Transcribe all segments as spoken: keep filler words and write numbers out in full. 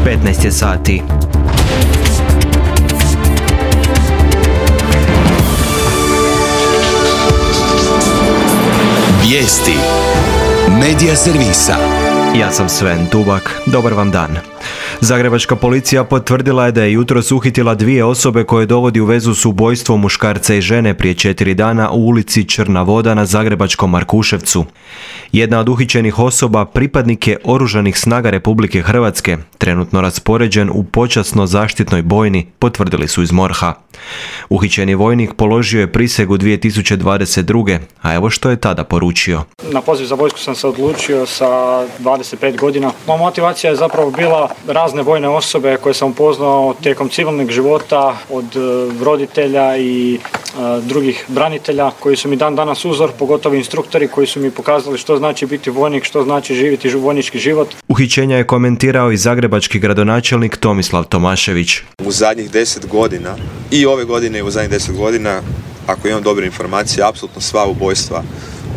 petnaest je sati. Vijesti Medija servisa. Ja sam Sven Dubak. Dobar vam dan. Zagrebačka policija potvrdila je da je jutros uhitila dvije osobe koje dovodi u vezu s ubojstvom muškarca i žene prije četiri dana u ulici Črna voda na zagrebačkom Markuševcu. Jedna od uhićenih osoba pripadnik je Oružanih snaga Republike Hrvatske, trenutno raspoređen u počasno zaštitnoj bojni, potvrdili su iz MORH-a. Uhićeni vojnik položio je prisegu dvije tisuće dvadeset druge. A evo što je tada poručio. Na poziv za vojsku sam se odlučio sa dvadeset pet godina. Moja motivacija je zapravo bila razne vojne osobe koje sam upoznao tijekom civilnog života od roditelja i a, drugih branitelja koji su mi dan danas uzor, pogotovo instruktori koji su mi pokazali što znači biti vojnik, što znači živjeti vojnički život. Uhićenja je komentirao i zagrebački gradonačelnik Tomislav Tomašević. U zadnjih deset godina i ove godine i u zadnjih deset godina, ako imam dobre informacije, apsolutno sva ubojstva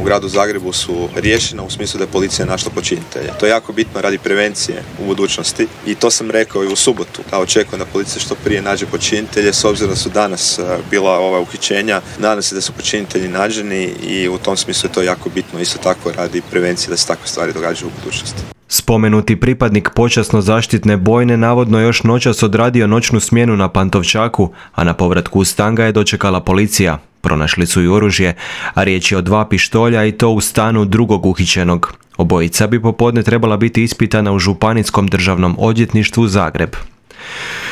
u gradu Zagrebu su riješena u smislu da je policija našla počinitelja. To je jako bitno radi prevencije u budućnosti i to sam rekao i u subotu, da očekujem da policija što prije nađe počinitelje, s obzirom da su danas bila ova uhićenja. Nadam se da su počinitelji nađeni i u tom smislu je to jako bitno isto tako radi prevencije da se takve stvari događaju u budućnosti. Spomenuti pripadnik počasno zaštitne bojne navodno još noćas odradio noćnu smjenu na Pantovčaku, a na povratku u stan ga je dočekala policija. Pronašli su i oružje, a riječ je o dva pištolja i to u stanu drugog uhićenog. Obojica bi popodne trebala biti ispitana u Županijskom državnom odvjetništvu Zagreb.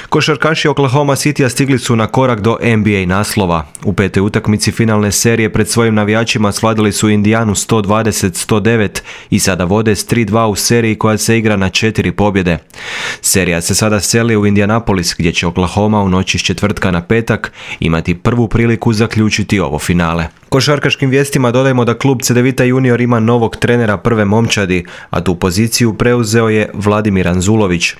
Košarkaši Oklahoma Citya stigli su na korak do N B A naslova. U petoj utakmici finalne serije pred svojim navijačima svladali su Indijanu sto dvadeset sto devet i sada vode s tri dva u seriji koja se igra na četiri pobjede. Serija se sada seli u Indianapolis gdje će Oklahoma u noći s četvrtka na petak imati prvu priliku zaključiti ovo finale. Košarkaškim vijestima dodajemo da klub Cedevita Junior ima novog trenera prve momčadi, a tu poziciju preuzeo je Vladimir Anzulović.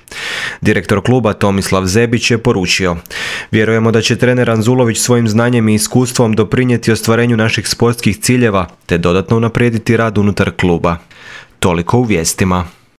Direktor kluba Tomislav Zebić je poručio: vjerujemo da će trener Anzulović svojim znanjem i iskustvom doprinijeti ostvarenju naših sportskih ciljeva te dodatno unaprijediti rad unutar kluba. Toliko u vijestima.